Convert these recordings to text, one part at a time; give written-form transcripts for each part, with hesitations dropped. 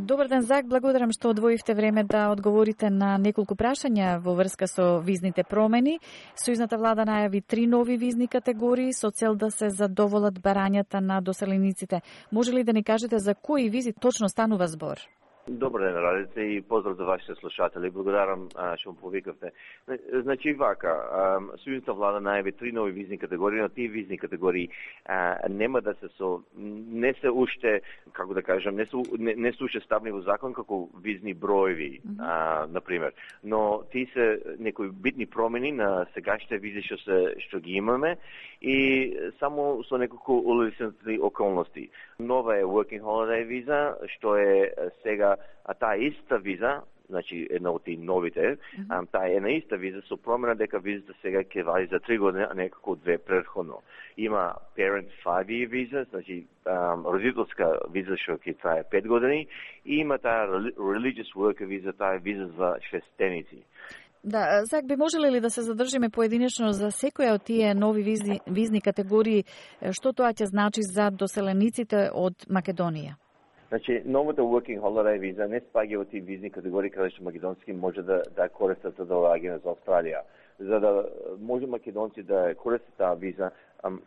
Добар ден, Зак, благодарам што одвоивте време да одговорите на неколку прашања во врска со визните промени. Сојузната влада најави 3 нови визни категории со цел да се задоволат барањата на доселениците. Може ли да ни кажете за кои визи точно станува збор? Добар ден, Радице, и поздрав за вашите слушатели. Благодарам што ме повикавте. Значи вака, Сојузната влада најави 3 нови визни категории, но тие визни категории нема да се не се уште, како да кажам, не се уште ставни во закон како визни броеви, например. Но тие се некои битни промени на сегашните визи што ги имаме и само со неколку улеснени околности. Нова е Working Holiday виза, што е сега таа иста виза, значи една од тие новите, таа е една иста виза со промена дека визата сега ќе вади за 3 години, а не како 2 претходно. Има Parent 5-year виза, значи родителска виза што ќе трае 5 години, и има таа Religious Worker виза, таа е виза за христијаници. Да, Зак, би можеле ли да се задржиме поединечно за секоја од тие нови визни категории, што тоа ќе значи за доселениците од Македонија? Значи, новата Working Holiday виза не спаѓа во тие визни категории каде што македонски може да користат за доаѓање за Австралија. За да може македонци да користат таа виза,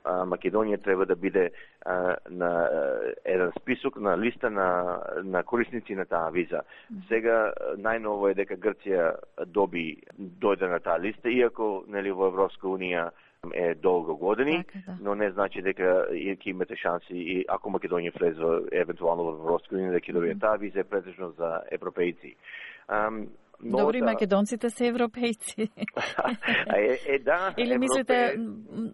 Македонија треба да биде на еден список, на листа на корисници на таа виза. Сега најново е дека Грција дојде на таа листа, иако нели во Европска унија е долго години, но не значи дека ќе имате шанси и ако Македонија влезе евентуално во Европска унија да ќе добие таа виза, е претежно за европејци. Добри, македонците се европејци. Да. Или мислите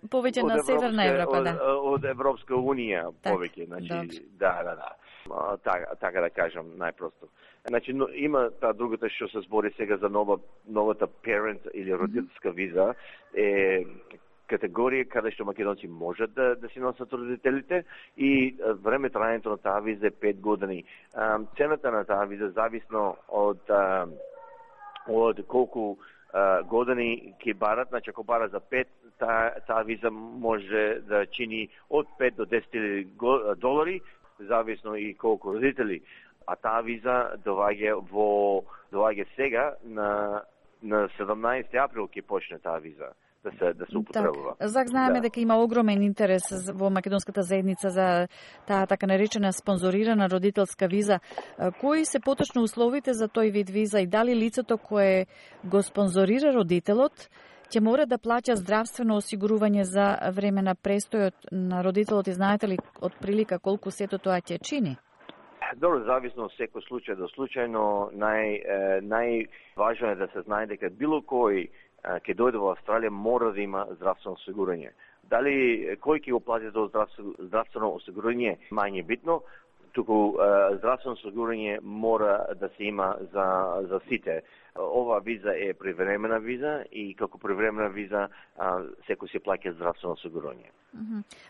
повеќе на Северна Европа, да? Од Европска унија повеќе, значи, да. Така да кажам најпросто. Значи, има таа другата што се збори сега за новата parent или родителска виза, е категорија каде што македонци можат да си носат родителите и време трајањето на таа виза е 5 години. Цената на таа виза зависно од колку години ќе барат, значи ако бара за 5, таа виза може да чини од 5 до $10,000, зависно и колку родители. А таа виза доаѓа сега на 17 април ќе почне таа виза да се употребува. Зак, знаеме дека има огромен интерес во македонската заедница за таа така наречена спонзорирана родителска виза. Кои се поточно условите за тој вид виза и дали лицето кое го спонзорира родителот ќе мора да плаќа здравствено осигурување за време на престојот на родителот и знаете ли од прилика колку сето тоа ќе чини? Добро, зависно од секој случај до случај, но најважно е да се знае дека било кој ќе дојде во Австралија мора да има здравствено осигурање. Дали кој ќе го плати тоа здравствено осигурање мање битно, туку здравствено осигурање мора да се има за сите. Ова виза е привремена виза и како привремена виза секој се плаќа здравствено осигурање.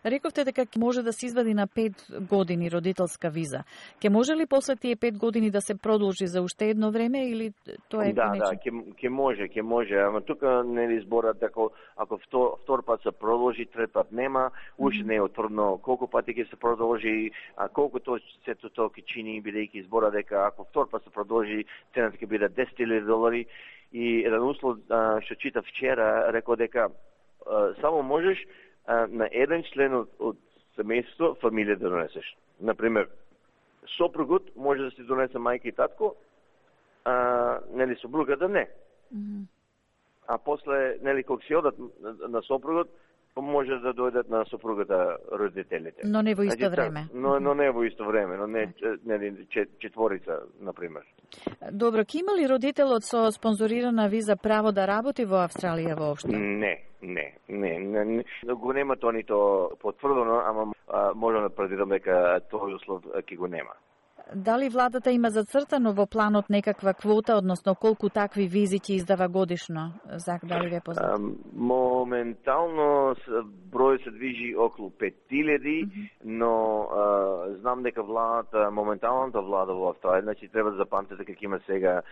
Рековте дека може да се извади на 5 години родителска виза. Ке може ли после тие 5 години да се продолжи за уште едно време или тоа е конечно? Да, ќе може, ама тука нели зборат дека ако втор пат се продолжи, трет пат нема, уште не е утврдено колку пати ќе се продолжи, а колку сето тоа ќе чини, бидејќи збора дека ако втор пат се продолжи, цената ќе биде $10,000 и еден услов што читав вчера рекол дека само можеш на еден член од семејството фамилија да донесеш. Например, сопругот може да си донесе мајка и татко, нели сопругата не. А после, нели, кога си одат на сопругот, може да дојдат на сопругата родителите. Но не во исто време. Но не во исто време, но не четворица, например. Добро, ќе има ли родителот со спонзорирана виза право да работи во Австралија воопшто? Не. Го нема тоа нито потврдено, ама можам да предвидам дека тој услов ќе го нема. Дали владата има зацртано во планот некаква квота, односно колку такви визи ќе издава годишно? Зак, дали ве познат? Моментално број се движи околу 5,000, но знам дека моменталната влада во Австралија, значи треба да запамтите дека има сега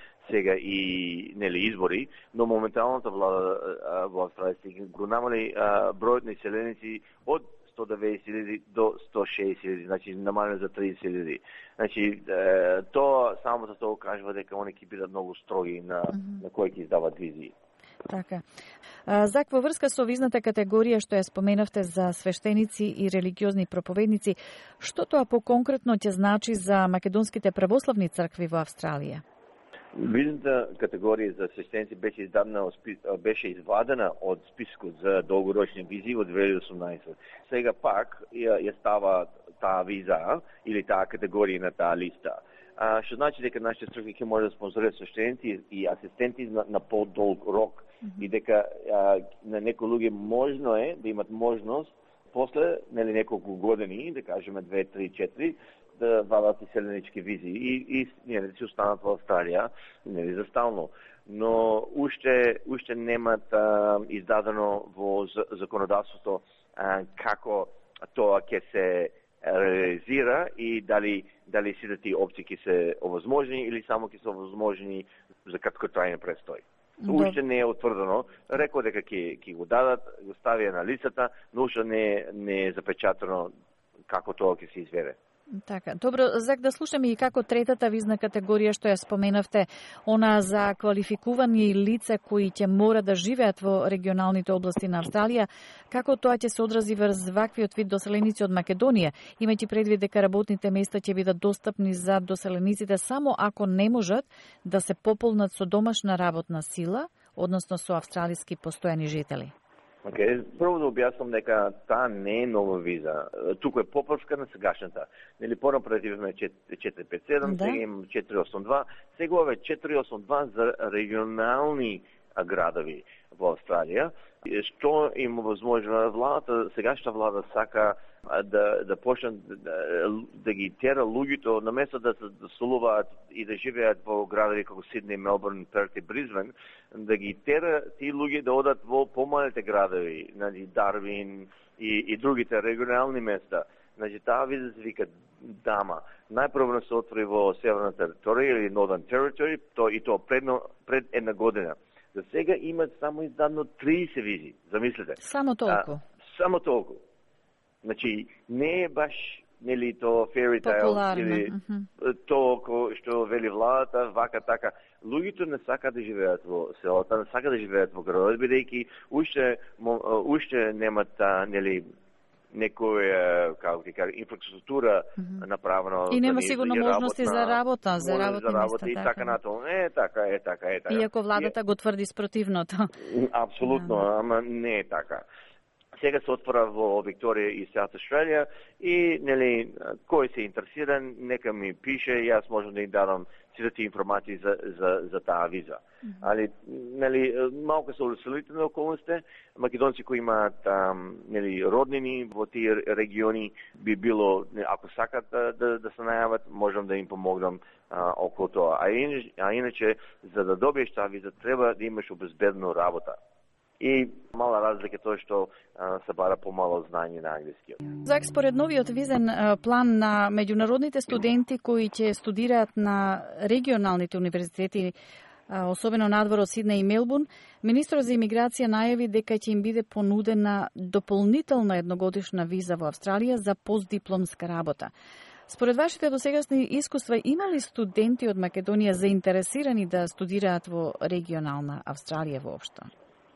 и нели избори, но моменталната влада во Австралија го намали бројот на иселеници од 190.000 до 160.000, значи намалено за 30.000. Значи тоа само за тоа кажува дека они ќе бидат многу строги на кои ќе издават визи. Така. Зак, во врска со визната категорија што ја споменавте за свештеници и религиозни проповедници, што тоа поконкретно ќе значи за македонските православни цркви во Австралија? Визната категорија за свештеници беше извадена од спискот за долгорочни визи во 2018. Сега пак ја става таа виза или таа категорија на таа листа. Што значи дека нашите цркви ќе може да спонзорираат свештеници и асистенти на подолг рок и дека на некои луѓе можно е да имат можност после неколку години, да кажеме 2, 3, 4, да вадат иселенички визи и да си останат во Австралија за стално. Но уште немат издадено во законодавството како тоа ќе се реализира и дали сите тие опции ќе се овозможни или само ќе се овозможни за краткотрајен престој. Уште не е утврдено. Рекол дека ќе го дадат, го ставија на листата, но уште не е запечатено како тоа ќе се изведе. Така, добро, Зак, да слушаме и како третата визна категорија што ја споменавте, она за квалификувани лица кои ќе мора да живеат во регионалните области на Австралија, како тоа ќе се одрази врз ваквиот вид доселеници од Македонија, имајќи предвид дека работните места ќе бидат достапни за доселениците само ако не можат да се пополнат со домашна работна сила, односно со австралиски постојани жители. Прво да објаснам дека таа не е нова виза. Туку е поправка на сегашната. Понапред имаме 457, сега имаме 482, сега ова е 482 за регионални градови во Австралија. Што им возможува владата, сегашната влада сака да почне да ги тера луѓето наместо да се доселуваат и да живеат во градови како Сиднеј, Мелбурн, Перт и Бризбен, да ги тера тие луѓе да одат во помалите градови, Дарвин и другите регионални места. Значи таа виза се вика Дама. Најпрво се отвори во Северна територија или Northern Territory, и тоа пред една година. За сега имат само издадено 30 визи, замислете. Само толку? Само толку. Значи, не е баш тоа fairy tale или тоа што вели владата, вака така. Луѓето не сакаат да живеат во селата, не сакаат да живеат во градовите, бидејќи уште немат некоја, како ти кажа, инфраструктура направена. И нема сигурно можности за работа, за работни места. И така натаму. Така. Иако владата го тврди спротивното. Апсолутно, ама не е така. Сега се отвора во Викторија и South Australia и кој се интересира, нека ми пише, јас можам да им дадам сите тие информации за таа виза. Али малку се усилителни околности, македонци кои имаат роднини во тие региони би било, ако сакат да се најават, можам да им помогнам околу тоа. А иначе за да добиеш таа виза треба да имаш обезбедно работа. И мала разлика тоа што се бара помало знање на англиски. Зак, според новиот визен план на меѓународните студенти кои ќе студираат на регионалните универзитети, особено надвор од Сиднеј и Мелбурн, министрот за имиграција најави дека ќе им биде понудена дополнителна едногодишна виза во Австралија за постдипломска работа. Според вашите досегашни искуства, има ли студенти од Македонија заинтересирани да студираат во регионална Австралија воопшто?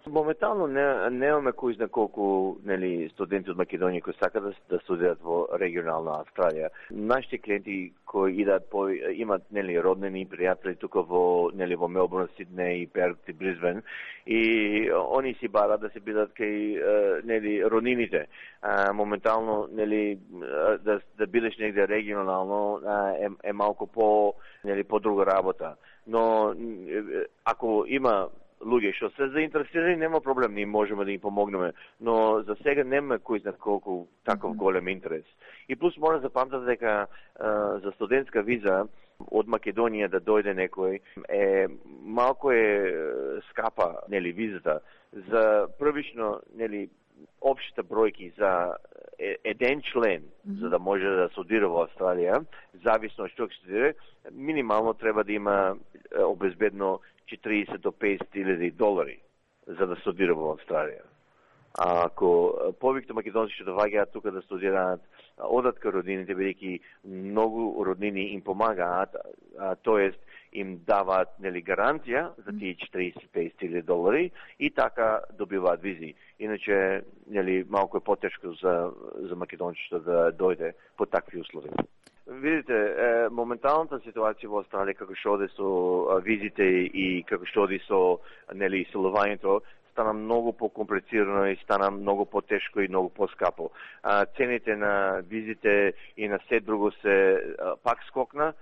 Моментално немаме кој знае колку студенти од Македонија кои сакаат да студираат во регионална Австралија. Нашите клиенти кои имат роднини и пријатели тука во Мелбурн, Сиднеј, Перт и Бризбен и они си бараат да се бидат кај роднините. Моментално да бидеш негде регионално е малку по друга работа. Но ако има луѓе што се заинтересирани, нема проблем, ние можеме да им помогнеме, но за сега нема кој знае колку таков голем интерес. И плюс мора да запамтите дека за студентска виза од Македонија да дојде некој малку скапа, визата. За првично, општите бројки за еден член, за да може да студира во Австралија, зависно од што ќе студира, минимално треба да има обезбедно $40,000 до $50,000 за да студира во Австралија. ако повеќе македонци што доаѓаат тука да студираат, одат кај роднините, бидејќи многу роднини им помагаат, тоест им даваат гаранција за тие $40,000 и така добиваат визи. Иначе малку е потешко за македонците да дојде по такви услови. Видите, моменталната ситуација во Австралија како што оди со визите и како што оди со селувањето стана многу покомплицирано и стана многу потешко и многу поскапо. Цените на визите и на се друго се пак скокна.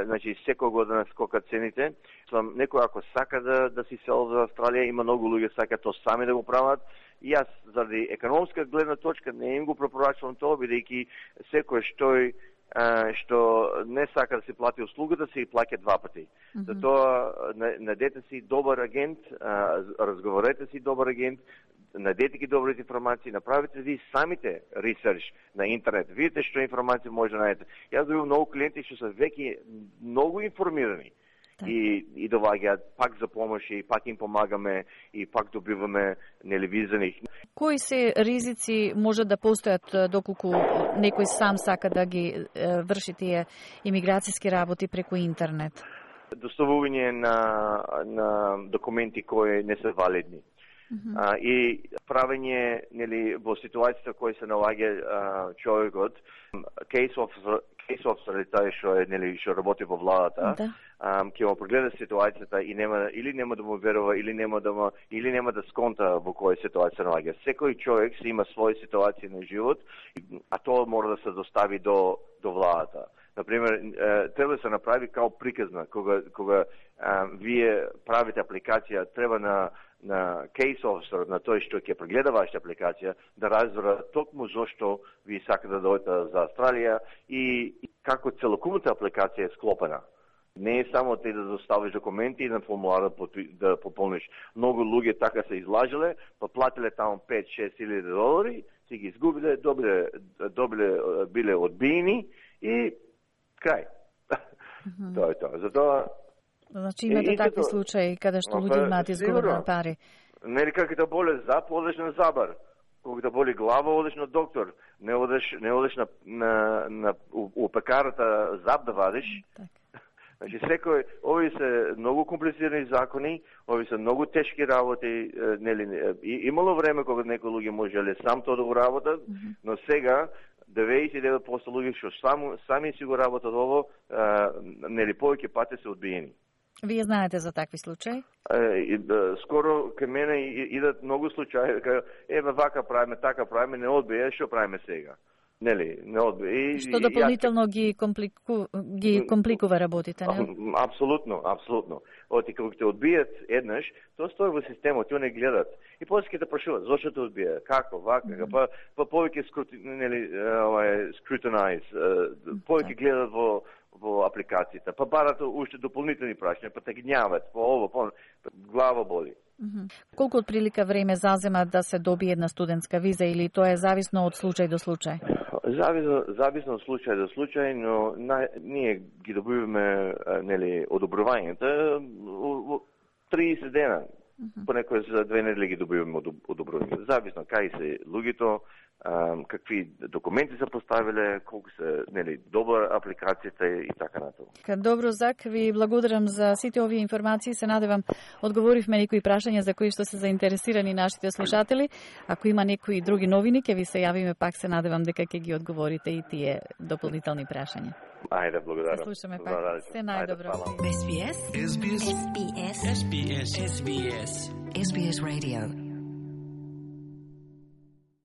Значи секоја година скокат цените. Некој ако сака да си сел за Австралија, има многу луѓе сака тоа сами да го прават. И јас заради економска гледна точка не им го препорачувам тоа, бидејќи секој што не сака да се плати услугата, се и плаќа два пати. Затоа најдете си добар агент, разговорете си добар агент, најдете ги добрите информации, направите ви самите ресерч на интернет. Видите што информации може да најдете. Јас добивам многу клиенти што се веќе многу информирани. И доваѓаат пак за помош и пак им помагаме и пак добиваме виза. Кои се ризици може да постојат доколку некој сам сака да ги врши тие имиграцијски работи преку интернет? Доставување на документи кои не се валидни. И правење во ситуацијата која се наоѓа човекот, case officer тај што работи во владата, ќе му прогледа ситуацијата и нема да му верува или нема да сконта во која ситуација се наоѓа. Секој човек си има своја ситуација на живот, а тоа мора да се достави до владата. Например, треба да се направи као приказна кога вие правите апликација, треба на case officer, на тој што ќе прегледа вашата апликација, да разбера токму зошто ви сака да дојдете за Австралија и како целокупната апликација е склопена. Не е само ти да доставиш документи и на формулар да пополниш. Многу луѓе така се излажеле, па платиле таму $5,000-6,000, си ги изгубиле, биле одбиени и крај. Тоа е тоа. Затоа значи имате такви случаи каде што луѓе имаат изгубени пари. Нели како да боле зап, одеш на забар. Кога да боли глава, одеш на доктор. Не одеш у пекарата зап да вадиш. Значи овие се многу комплицирани закони, овие се многу тешки работи, имало време кога некои луѓе можеле сам тоа да го работат, но сега 99% луѓе што сами си го работат ово, повеќе пати се одбиени. Вие знаете за такви случаи? Скоро кај мене идат многу случаи, еве вака правиме, така правиме, не одбија, што правиме сега? Не одбија. Што дополнително ги компликува работите, не? Апсолутно. Оти кога те одбијат еднаш, тоа стои во системот, тие не гледат. И после ќе те прашуваат зошто те одбија, како, вака, па повеќе scrutinize, повеќе гледат во апликацијата, па барат уште дополнителни прашања, па те гњават, глава боли. Колку отприлика време зазема да се добие една студентска виза или тоа е зависно од случај до случај? Зависно од случај до случај, но ние ги добиваме одобрувањата 30 дена. Понекој за 2 недели ги добиваме одобрувањата. Зависно кај се луѓето, какви документи се поставиле, колку се добра апликацијата и така натаму. Добро, Зак, ви благодарам за сите овие информации. Се надевам одговоривме некои прашања за кои што се заинтересирани нашите слушатели. Ако има некои други новини, ќе ви се јавиме пак, се надевам дека ќе ги одговорите и тие дополнителни прашања. Ајде, благодарам. Се слушаме пак. Се најдобро. SBS. SBS. SBS. SBS. SBS. SBS Radio.